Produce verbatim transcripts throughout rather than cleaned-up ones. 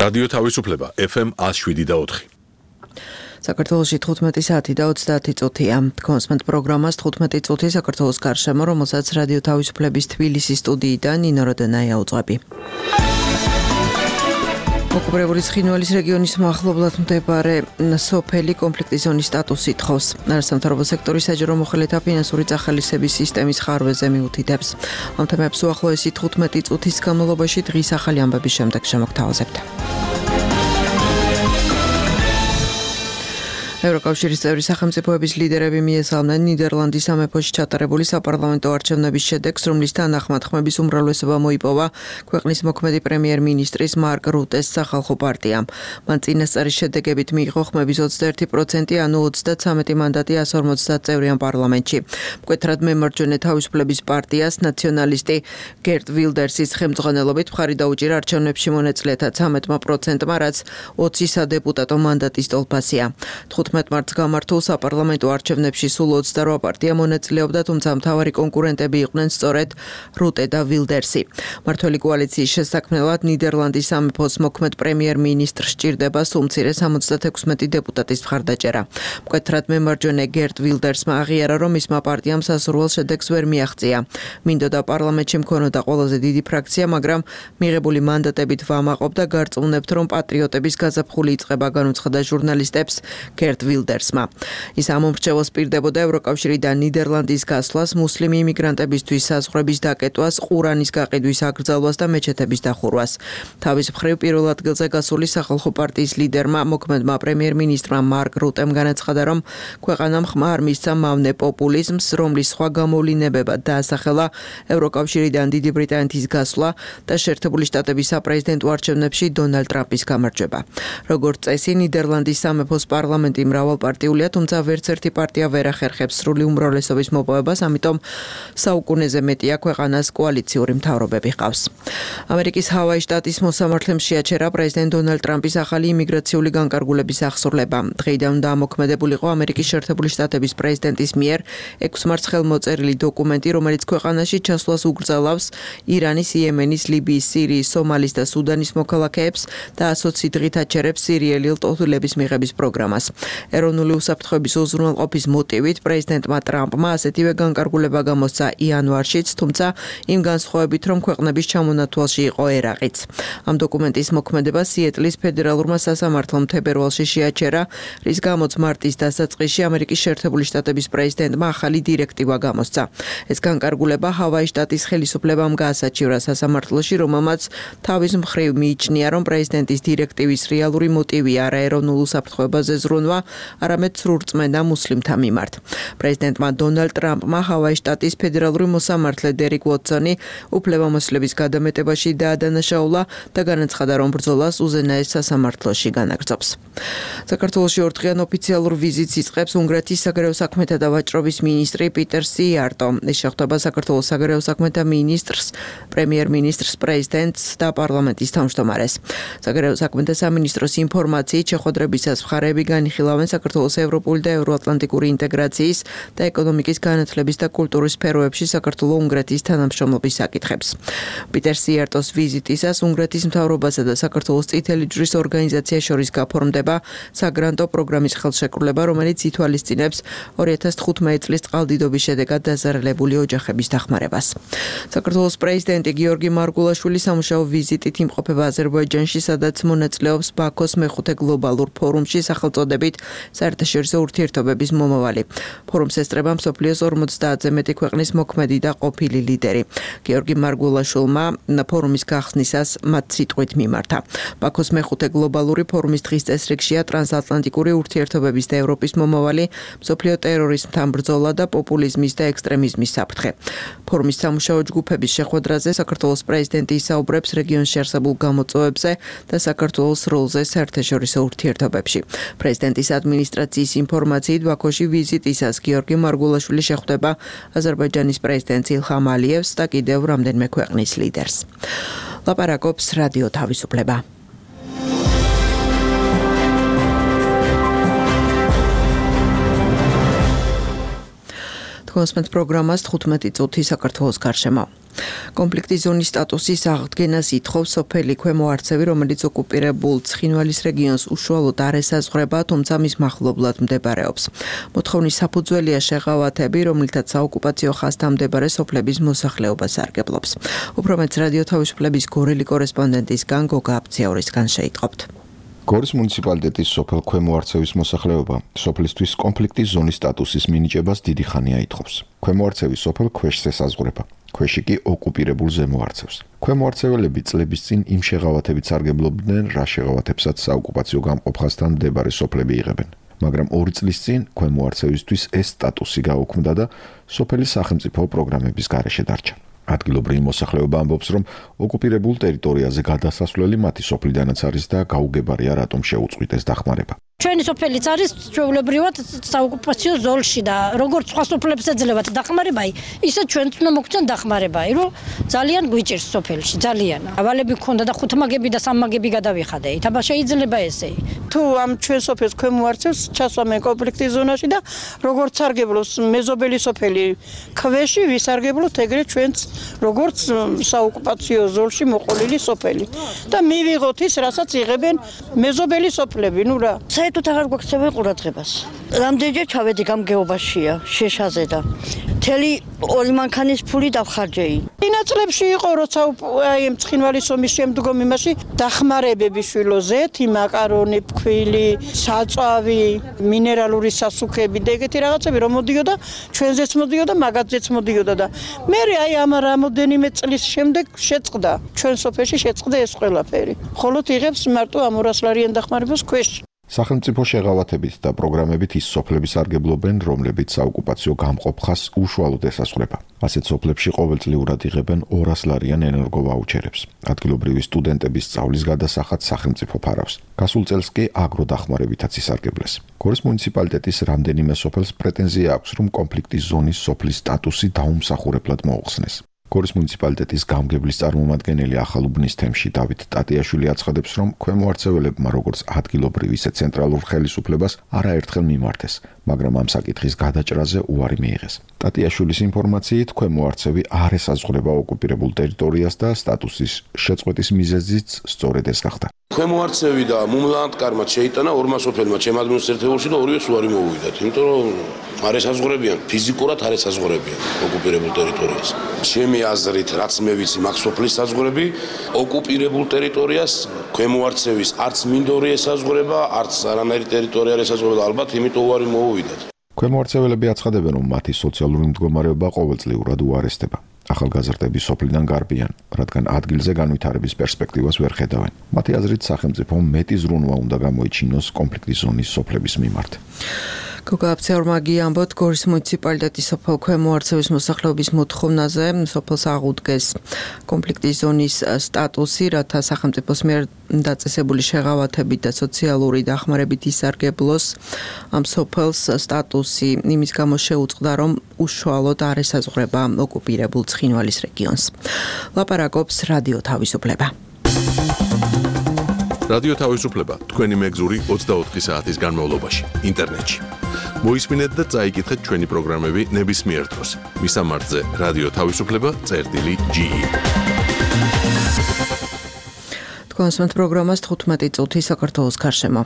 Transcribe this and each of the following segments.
რადიო თავისუფლება ეფ ემ one oh seven და four. საქართველოში თხუთმეტი საათი და ოცდაათი წუთია. კონსმენტ პროგრამას თხუთმეტი წუთი საქართველოს გარშემო, რომელსაც რადიო თავისუფლების თბილისის სტუდიიდან ნინო როდენაია უძღვები. ოკუპირებული ცხინვალის რეგიონის მახლობლად მდებარე სოფელი კონფლიქტის ზონის სტატუსი ითხოვს. არასამთავრობო სექტორის საჯარო მოხელეთა ფინანსური წახალისების სისტემის ხარვეზე მიუთითებს. ამ თემებს უახლოესი თხუთმეტი წუთის განმავლობაში დღის ახალი ამბების შემდეგ შემოგთავაზებთ. ევროკავშირის წევრი სახელმწიფოების ლიდერები მიესალმნენ ნიდერლანდის სამეფოში ჩატარებული საპარლამენტო არჩევნების შედეგს, რომლის თანახმად ხმების უმრავლესობა მოიპოვა ქვეყნის მოქმედი პრემიერ-მინისტრის მარკ რუტეს სახალხო პარტიამ. მან წინასწარი შედეგებით მიიღო ხმების ოცდაერთი პროცენტი, ანუ ოცდათვრამეტი მანდატი one hundred fifty წევრიან პარლამენტში. მკვეთრად მემარჯვენე თავისუფლების პარტიას ნაციონალისტი გერტ ვილდერსის ხელმძღვანელობით მხარი დაუჭირა არჩევნებში მონაწილეთა ცამეტმა პროცენტმა, რაც ოცი სადეპუტატო მანდატის ტოლფასია. თხუთმეტ მარტს გამართულ საპარლამენტო არჩევნებში სულ ოცდარვა პარტია მონაწილეობდა, თუმცა მთავარი კონკურენტები იყვნენ სწორედ რუტე და ვილდერსი. მმართველი კოალიციის შესაქმნელად ნიდერლანდის სამეფოს მოქმედ პრემიერ-მინისტრს სჭირდება სულ მცირე სამოცდათექვსმეტი დეპუტატის მხარდაჭერა. მკვეთრად მემარჯვენე გერტ ვილდერსმა აღიარა, რომ მისმა პარტიამ სასურველ შედეგს ვერ მიაღწია. მინდოდა პარლამენტში მქონოდა ყველაზე დიდი ფრაქცია, მაგრამ მიღებული მანდატებით ვამაყობდა, გარწმუნებთ, რომ პატრიოტების გაზაფხული იწყება, განუცხადა ჟურნალისტებს გერტ ვილდერსმა. ის ამომრჩეველს პირდებოდა ევროკავშირიდან ნიდერლანდის გასვლას, მუსლიმი იმიგრანტებისთვის საზღვრების დაკეტვას, ყურანის გაყიდვის აკრძალვას და მეჩეთების დახურვას. თავის მხრივ პირველ ადგილზე გასული სახალხო პარტიის ლიდერმა, მოქმედმა პრემიერ-მინისტრმა მარკ რუტემ განაცხადა, რომ ქვეყანამ ხმა არ მისცა მავნე პოპულიზმს, რომლის სხვა გამოვლინებებად დაასახელა ევროკავშირიდან დიდი ბრიტანეთის გასვლა და შეერთებული შტატების საპრეზიდენტო არჩევნებში დონალდ ტრამპის გამარჯვება. როგორც წესი, ნიდერლანდის სამეფოს პარლამენტი მრავალპარტიულია, თუმცა ვერც ერთი პარტია ვერ ახერხებს სრული უმრავლესობის მოპოვებას, ამიტომ საუკუნეზე მეტია ქვეყანას კოალიციური მთავრობები ჰყავს. ამერიკის ჰავაის შტატის მოსამართლემ შეაჩერა პრეზიდენტ დონალდ ტრამპის ახალი იმიგრაციული განკარგულების აღსრულება. დღეიდან დაამოქმედებულიყო ამერიკის შეერთებული შტატების პრეზიდენტის მიერ ექვს მარტს ხელმოწერილი დოკუმენტი, რომელიც ქვეყანაში ჩასვლას ugრძელავს ირანის, იემენის, ლიბიის, სირიის, სომალის და სუდანის მოქალაქეებს და ასოცი დღით აჩერებს სირიელი ლტოლვილების მიღების პროგრამას. ეროვნული უსაფრთხოების უზრუნველყოფის მოტივით პრეზიდენტმა ტრამპმა ასეთივე განკარგულება გამოსცა იანვარშიც, თუმცა იმ განსხვავებით, რომ ქვეყნების ჩამონათვალში იყო ერაყიც. ამ დოკუმენტის მოქმედება სიეტლის ფედერალურმა სასამართლომ თებერვალში შეაჩერა, რის გამოც მარტის დასაწყისში ამერიკის შეერთებული შტატების პრეზიდენტმა ახალი დირექტივა გამოსცა. ეს განკარგულება ჰავაის შტატის ხელისუფლებამ გაასაჩივრა სასამართლოში, რომელმაც თავის მხრივ მიიჩნია, რომ პრეზიდენტის დირექტივის რეალური მოტივი არა ეროვნულ უსაფრთხოებაზე ზრუნვა, არამედ სრურწმენა მუსლიმთა მიმართ. პრეზიდენტმა დონალდ ტრამპმა ჰავაის შტატის ფედერალური მოსამართლე დერიკ უოტსონი უფლებამოსილების გადამეტებაში დაადანაშაულა და განაცხადა, რომ ბრძოლას უზენაეს სასამართლოში განაგრძობს. საქართველოში ორდღიან ოფიციალურ ვიზიტს იწყებს უნგრეთის საგარეო საქმეთა და ვაჭრობის მინისტრი პიტერ სიარტო. ის შეხვდება საქართველოს საგარეო საქმეთა მინისტრს, პრემიერ-მინისტრს, პრეზიდენტს და პარლამენტის თავმჯდომარეს. საგარეო საქმეთა სამინისტროს ინფორმაციით შეხვედრებისას მხარეები განიხილავენ საქართველოს ევროპული და ევროატლანტიკური ინტეგრაციის და ეკონომიკის განათლების და კულტურის სფეროებში საქართველო-უნგრეთის თანამშრომლობის საკითხებს. პიტერ სიარტოს ვიზიტისას უნგრეთის მთავრობასა და საქართველოს წითელი ჯვრის ორგანიზაციას შორის გაფორმდება საგრანტო პროგრამის ხელშეკრულება, რომელიც ითვალისწინებს ორი ათას თხუთმეტი წლის წყალდიდობის შედეგად დაზარალებული ოჯახების დახმარებას. საქართველოს პრეზიდენტი გიორგი მარგულაშვილი სამუშაო ვიზიტით იმყოფება აზერბაიჯანში, სადაც მონაწილეობს ბაქოს მეხუთე გლობალურ ფორუმში სახელწოდებით საერთაშორისო ურთიერთობების მომავალი. ფორუმს ესწრება მსოფლიოს ორმოცდაათზე მეტი ქვეყნის მოქმედი და ყოფილი ლიდერი. გიორგი მარგულაშვილმა ფორუმის გახსნისას მათ სიტყვით მიმართა. ბაქოს მეხუთე გლობალური ფორუმის დღის წესრიგშია ტრანსატლანტიკური ურთიერთობების და ევროპის მომავალი, მსოფლიო ტერორიზმთან ბრძოლა და პოპულიზმის და ექსტრემიზმის საფრთხე. ფორუმის სამუშაო ჯგუფების შეხვედრაზე საქართველოს პრეზიდენტი ისაუბრებს რეგიონში არსებულ გამოწვევებზე და საქართველოს როლზე საერთაშორისო ურთიერთობებში. პრეზიდენტის ადმინისტრაციის ინფორმაციით ბაქოში ვიზიტისას გიორგი მარგულაშვილი შეხვდება აზერბაიჯანის პრეზიდენტს ილჰამ ალიევს და კიდევ რამდენიმე ქვეყნის ლიდერს. ლაპარაკობს რადიო თავისუფლება. კონსმენტ პროგრამას თხუთმეტი წუთი საქართველოს გარშემო. კონფლიქტის ზონის სტატუსის აღდგენას ითხოვს სოფელი ქვემო არცევი, რომელიც ოკუპირებულ ცხინვალის რეგიონს უშუალოდ არ ესაზღვრება, თუმცა მის მახლობლად მდებარეობს. მოთხოვნის საფუძველია შეღავათები, რომლითაც საოკუპაციო ხაზთამდებარე სოფლების მოსახლეობას სარგებლობს. უფრო მეც რადიო თავისუფლების გორელი კორესპონდენტისგან გოგა აბციაურისგან შეიტყობთ. გორის მუნიციპალიტეტის სოფელ ქვემო არცევის მოსახლეობა სოფლისთვის კონფლიქტის ზონის სტატუსის მინიჭებას დიდი ხანია ითხოვს. ქვემო არცევი სოფელ ქვეშს ესაზღვრება. ქვეში კი ოკუპირებულ ზემო არცევს. ქვემო არცეველები წლების წინ იმ შეღავათებით სარგებლობდნენ, რა შეღავათებსაც საოკუპაციო გამყოფხასთან მდებარე სოფლები იღებენ. მაგრამ ორი წლის წინ ქვემო არცევისთვის ეს სტატუსი გაუქმდა და სოფელი სახელმწიფო პროგრამების გარეშე დარჩა. ადგილობრივი მოსახლეობა ამბობს, რომ ოკუპირებულ ტერიტორიაზე გადასასვლელი მათი სოფლიდანაც არის და გაუგებარია, რატომ შეუწყვიტეს დახმარება. ჩვენი სოფელიც არის ჩვეულებრივად საოკუპაციო ზოლში და როგორც სხვა სოფლებს ეძლებათ დახმარება, ისე ჩვენც უნდა მოგცენ დახმარება, რომ ძალიან გვიჭირს სოფელში, ძალიან. ავალები გქონდა და ხუთმაგები და სამმაგები გადავიხადე. ითაბა შეიძლება ესე. თუ ამ ჩვენ სოფელს ქვემო არცევს ჩასვამენ კონფლიქტის ზონაში და როგორც სარგებლობს მეზობელი სოფელი ქვეში, ვისარგებლოთ ეგრე ჩვენც როგორც საოკუპაციო ზოლში მოყოლილი სოფელი. და მივიღოთ ის, რასაც იღებენ მეზობელი სოფლები, ნუ რა. საერთოდ აღარ გვაქცევენ ყურადღებას. რამდენჯერ ჩავედი გამგეობაშია, შეშაზე და მთელი ორი მანქანის ფული დავხარჯეი. წინაწლებში იყო, როცა აი ამ ცხინვალის ომის შემდგომ იმაში დახმარებები შვილო ზეთი, მაკარონი, ფქვილი, საწვავი, მინერალური სასუქები და ეგეთი რაღაცები რომ მოდიოდა, ჩვენზეც მოდიოდა, მაგათზეც მოდიოდა და მე აი ამ რამოდენიმე წლის შემდეგ შეწყდა. ჩვენ სოფელში შეწყდა ეს ყველაფერი. ხოლო იღებს მარტო ამ ორას ლარიან დახმარებას ქვეშ. სახელმწიფო შეღავათებით და პროგრამებით ის სოფლები სარგებლობენ, რომლებიც საოკუპაციო გამყოფხას უშუალოდ ესაზღვრება. ასეთ სოფლებში ყოველწლიურად იღებენ ორას ლარიან ენერგოვაუჩერებს. ადგილობრივი სტუდენტების სწავლის გადასახად სახელმწიფო ფარავს. გასულ წელს კი აგროდახმარებითაც ისარგებლეს. გორის მუნიციპალიტეტის რამდენიმე სოფელს პრეტენზია აქვს, რომ კონფლიქტის ზონის სოფლის სტატუსი დაუმსახურებლად მოუხსნეს. გორის მუნიციპალიტეტის გამგებლის წარმომადგენელი ახალუბნის თემში დავით ტატიაშვილი აცხადებს, რომ ქვემო არცეველებმა როგორც ადგილობრივ ისე ცენტრალურ ხელისუფლებას არაერთხელ მიმართეს, მაგრამ ამ საკითხის გადაჭრაზე უარი მიიღეს. ტატიაშვილის ინფორმაციით, ქვემო არცევი არ ესაზღვრება ოკუპირებულ ტერიტორიას და სტატუსის შეწყვეტის მიზეზიც სწორედ ეს გახდა. ქვემო არცევი და მუმლანდკარმა შეიტანა ორმა სოფელმა ჩემ ადმინისტრაციულში და ორივეს უარი მოუვიდათ, იმიტომ რომ არ ესაზღვრებიან, ფიზიკურად არ ესაზღვრებიან ოკუპირებულ ტერიტორიას. ჩემი აზრით, რაც მე ვიცი, მაგ სოფლის საზღვრები ოკუპირებულ ტერიტორიას ქვემო არცევის არც მინდორი ესაზღვრება, არც არანაირი ტერიტორია არ ესაზღვრება და ალბათ იმიტომ უარი მოუვიდათ. ქვემო არცეველები აცხადებენ, რომ მათი სოციალური მდგომარეობა ყოველწლიურად უარესდება. ახალგაზრდები სოფლიდან გარბიან, რადგან ადგილზე განვითარების პერსპექტივას ვერ ხედავენ. მათი აზრით, სახელმწიფომ მეტი ზრუნვა უნდა გამოიჩინოს კონფლიქტის ზონის სოფლების მიმართ. გოგა აბციაურმა ამბობთ, გორის მუნიციპალიტეტის სოფელ ქვემო არცევის მოსახლეობის მოთხოვნაზე სოფელს აღუდგეს კონფლიქტის ზონის სტატუსი, რათა სახელმწიფოს მიერ დაწესებული შეღავათებით და სოციალური დახმარებით ისარგებლოს ამ სოფელს სტატუსი იმის გამო შეუწყდა, რომ უშუალოდ არ ესაზღვრება ოკუპირებულ ცხინვალის რეგიონს. ლაპარაკობს რადიო თავისუფლება. რადიო თავისუფლება თქვენი მეგზური ოცდაოთხი საათის განმავლობაში ინტერნეტში. მოისმინეთ და წაიკითხეთ ჩვენი პროგრამები ნებისმიერ დროს. მისამართზე რადიო თავისუფლება წერტილი ჯი ი. კონსმენთ პროგრამას თხუთმეტი წუთი საქართველოს გარშემო.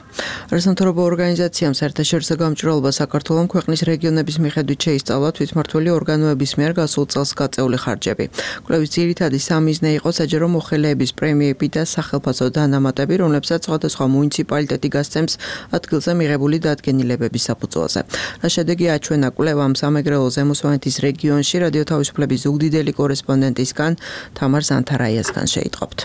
არასამთავრობო ორგანიზაციამ საერთაშორისო გამჭვირვალობა საქართველოს ქვეყნის რეგიონების მიხედვით შეისწავლა თვითმმართველი ორგანოების მიერ გასულ წელს გაწეული ხარჯები. კვლევის ძირითადი სამიზნე იყო საჯარო მოხელეების პრემიები და სახელფასო დანამატები, რომლებსაც სხვადასხვა მუნიციპალიტეტი გასცემს ადგილზე მიღებული დადგენილებების საფუძველზე. რა შედეგი აჩვენა კვლევამ სამეგრელო ზემოსვანეთის რეგიონში რადიო თავისუფლების ზუგდიდელი კორესპონდენტისგან თამარ ზანთარაიასგან შეიტყობთ.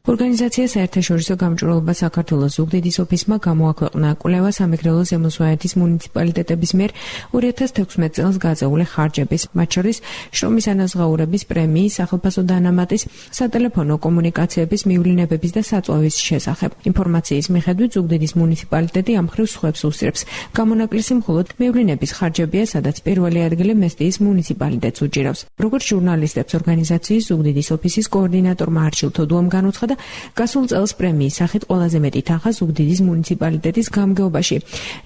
ორგანიზაცია საერთაშორისო გამჭვირვალობა საქართველოს ზუგდიდის ოფისმა გამოაქვეყნა კვლევა სამეგრელო ზემოსვანეთის მუნიციპალიტეტების მიერ ორი ათას თექვსმეტ წელს გაწეული ხარჯების, მათ შორის შრომის ანაზღაურების პრემიის, სახელფასო დანამატის, სატელეფონო კომუნიკაციების, მივლინებების და საწვავის შესახებ. ინფორმაციის მიხედვით ზუგდიდის მუნიციპალიტეტი ამ მხრივ სხვებს უსწრებს. გამონაკლისი მხოლოდ მივლინების ხარჯებია, სადაც პირველი ადგილი მესტიის მუნიციპალიტეტს უჭირავს. როგორც ჟურნალისტებს ორგანიზაციის ზუგდიდის ოფისის კოორდინატორმა არჩილ თოდუამ განუცხადა, გასულ წელს პრემიის სახით ყველაზე მეტი თანხა ზუგდიდის მუნიციპალიტეტის გამგეობაში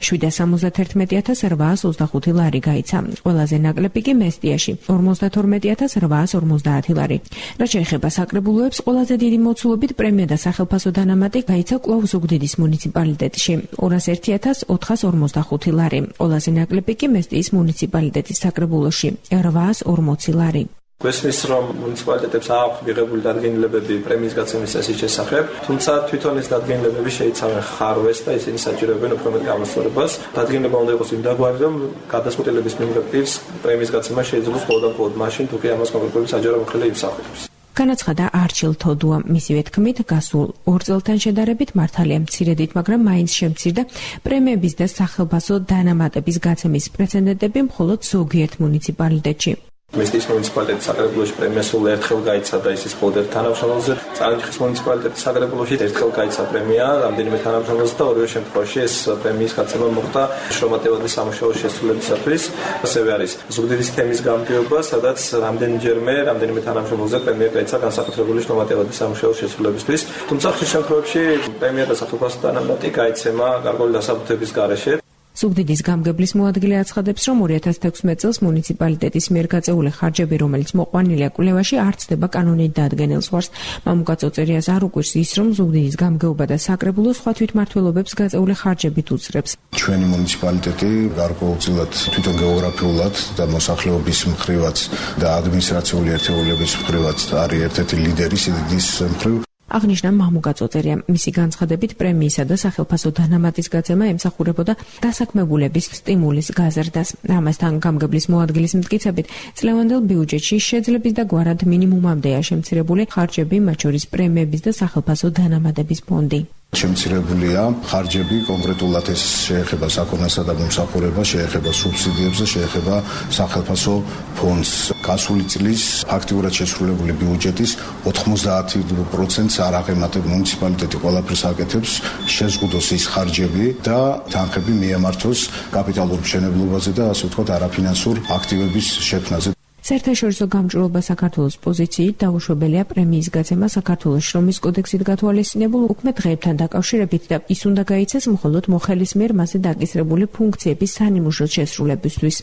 შვიდას სამოცდაერთმეტი ათას რვაას ოცდახუთი ლარი გაიცა. ყველაზე ნაკლები კი მესტიაში ორმოცდათორმეტი ათას რვაას ორმოცდაათი ლარი. რაც შეეხება საკრებულოებს, ყველაზე დიდი მოცულობით პრემია და სახელფასო დანამატი გაიცა კვლავ ზუგდიდის მუნიციპალიტეტში ორას ერთი ათას ოთხას ორმოცდახუთი ლარი. ყველაზე ნაკლები კი მესტიის მუნიციპალიტეტის საკრებულოში რვაას ორმოცი ლარი. გვესმის რომ მუნიციპალიტეტებს აქვს მიღებული დადგენილებები პრემიის გაცემის წესის შესახებ, თუმცა თვითონ ეს დადგენილებები შეიცავენ ხარვეს და ისინი საჭიროებენ უფრო მეტ გამოსწორებას. დადგენილება უნდა იყოს იმდაგვარი, რომ გადაწყვეტილების მიმღებ პირს პრემიის გაცემა შეიძლება მხოლოდ და მხოლოდ მაშინ, თუ კი ამას კონკრეტული საჯარო მოხელე იმსახურებს. განაცხადა არჩილ თოდუა. მისი თქმით, გასულ ორ წელთან შედარებით მართალია მცირედით, მაგრამ მაინც შემცირდა პრემიების და სახელფასო დანამატების გაცემის პრეცედენტები მხოლოდ ზოგიერთ მუნიციპალიტეტში. მესტიის მუნიციპალიტეტის საკრებულოში პრემია სულ ერთხელ გაიცა და ის ის მხოლოდ ერთ თანამშრომელზე. წალენჯიხის მუნიციპალიტეტის საკრებულოში ერთხელ გაიცა პრემია რამდენიმე თანამშრომელზე და ორივე შემთხვევაში ეს პრემიის გაცემა მოხდა შრომატევადის სამუშაოს შესრულებისათვის. ასევე არის ზუგდიდის თემის გამგეობა, სადაც რამდენჯერმე რამდენიმე თანამშრომელზე პრემია გაიცა განსაკუთრებული შრომატევადის სამუშაოს შესრულებისთვის. თუმცა ხშირ შემთხვევებში პრემია და სახელფასო დანამატი გაიცემა გარკვეული დასაბუთების გარეშე. ზუგდიდის გამგებლის მოადგილე აცხადებს, რომ ორი ათას თექვსმეტ წელს მუნიციპალიტეტის მიერ გაწეული ხარჯები, რომელიც მოყვანილია კვლევაში, არ ცდება კანონით დადგენილ ზღვარს. მამუკა წოწერიას არ უკვირს ის, რომ ზუგდიდის გამგეობა და საკრებულო სხვა თვითმმართველობებს გაწეული ხარჯებით უწრებს. ჩვენი მუნიციპალიტეტი გარკვეულწილად თვითონ გეოგრაფიულად და მოსახლეობის მხრივაც და ადმინისტრაციული ერთეულების მხრივაც არის ერთ-ერთი ლიდერი სიდიდის მხრივ. აღნიშნა მამუკა წოწერია. მისი განცხადებით პრემიისა და სახელფასო დანამატის გაცემა ემსახურებოდა დასაქმებულების სტიმულის გაზრდას. ამასთან გამგებლის მოადგილის მტკიცებით, წლევანდელ ბიუჯეტში შეძლების და გვარად მინიმუმამდეა შემცირებული ხარჯები, მათ შორის პრემიების და სახელფასო დანამატების ფონდი. შემცირებულია ხარჯები, კონკრეტულად ეს შეეხება საქონლსა და მომსახურებას, შეეხება სუბსიდიებს და შეეხება სახელფასო ფონდს. გასული წლის ფაქტიურად შესრულებული ბიუჯეტის ოთხმოცდაათი პროცენტს არ აღემატება მუნიციპალიტეტი ყველაფერს აკეთებს, შეზღუდოს ის ხარჯები და თანხები მიემართოს კაპიტალურ მშენებლობაზე და ასე ვთქვათ არაფინანსურ აქტივების შექმნაზე. საერთაშორისო გამჭვირვალობა საქართველოს პოზიციით დაუშვებელია პრემიის გაცემა საქართველოს შრომის კოდექსით გათვალისწინებულ უქმე დღეებთან დაკავშირებით და ის უნდა გაიცეს მხოლოდ მოხელის მიერ მასზე დაკისრებული ფუნქციების სანიმუშოდ შესრულებისთვის.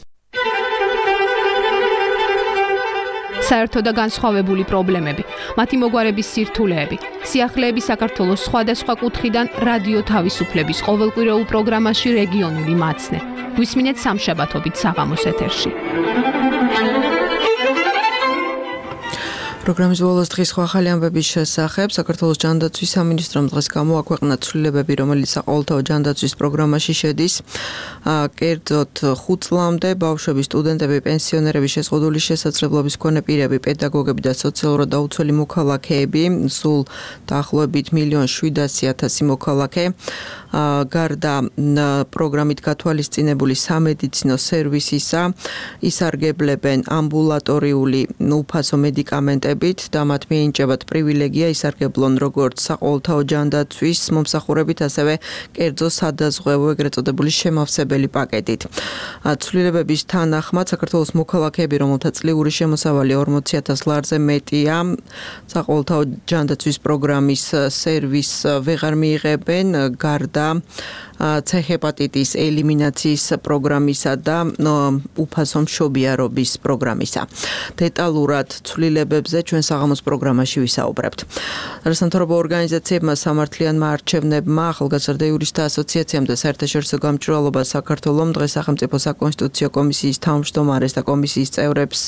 საერთო და განსხვავებული პრობლემები, მათი მოგვარების სირთულეები, სიახლეები საქართველოს სხვადასხვა კუთხიდან რადიო თავისუფლების ყოველკვირეულ პროგრამაში რეგიონული მაცნე. გვისმინეთ სამშაბათობით საღამოს ეთერში. პროგრამის ბოლოს დღის სხვა ახალი ამბების შესახებ საქართველოს ჯანდაცვის სამინისტრომ დღეს გამოაქვეყნა ცვლილებები, რომელიც საყოველთაო ჯანდაცვის პროგრამაში შედის. კერძოდ ხუთ წლამდე ბავშვები, სტუდენტები, პენსიონერები, შეზღუდული შესაძლებლობის მქონე პირები, პედაგოგები და სოციალურად დაუცველი მოქალაქეები, სულ დაახლოებით მილიონ შვიდასი ათასი მოქალაქე. გარდა პროგრამით გათვალისწინებული სამედიცინო სერვისისა, ისარგებლებენ ამბულატორიული უფასო მედიკამენტებით და მათ მიენიჭებათ პრივილეგია ისარგებლონ როგორც საყოველთაო ჯანდაცვის მომსახურებით, ასევე კერძო სადაზღვევო ეგრეთ წოდებული შემავსებელი პაკეტით. ცვლილებების თანახმად საქართველოს მოქალაქეები, რომელთა წლიური შემოსავალი ორმოცი ათას ლარზე მეტია, საყოველთაო ჯანდაცვის პროგრამის სერვისს ვეღარ მიიღებენ, გარდა C ჰეპატიტის ელიმინაციის პროგრამისა და უფასო მშობიარობის პროგრამისა. დეტალურად ცვლილებებზე ჩვენ საღამოს პროგრამაში ვისაუბრებთ. რასამთავრობო ორგანიზაციებმა, სამართლიანმა არჩევნებმა, ახალგაზრდა იურისტთა ასოციაციამ და საერთაშორისო გამჭვირვალობა საქართველოს დღეს სახელმწიფო საკონსტიტუციო კომისიის თავმჯდომარეს და კომისიის წევრებს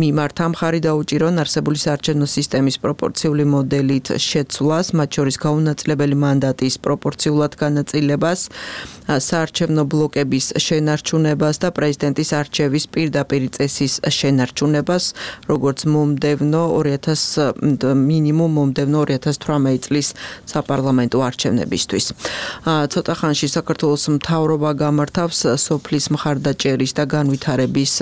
მიმართ მხარი დაუჭირონ არსებული საარჩევნო სისტემის პროპორციული მოდელით შეცვლას, მათ შორის გაუნაწილებელი მანდატის პროპორციულად განაწილებას, საარჩევნო ბლოკების შენარჩუნებას და პრეზიდენტის არჩევის პირდაპირ წესის შენარჩუნებას, როგორც მომდევნო ორი ათას მინიმუმ მომდევნო ორი ათას თვრამეტი წლის საპარლამენტო არჩევნებისთვის. ცოტა ხანში საქართველოს მთავრობა გამართავს სოფლის მხარდაჭერის და განვითარების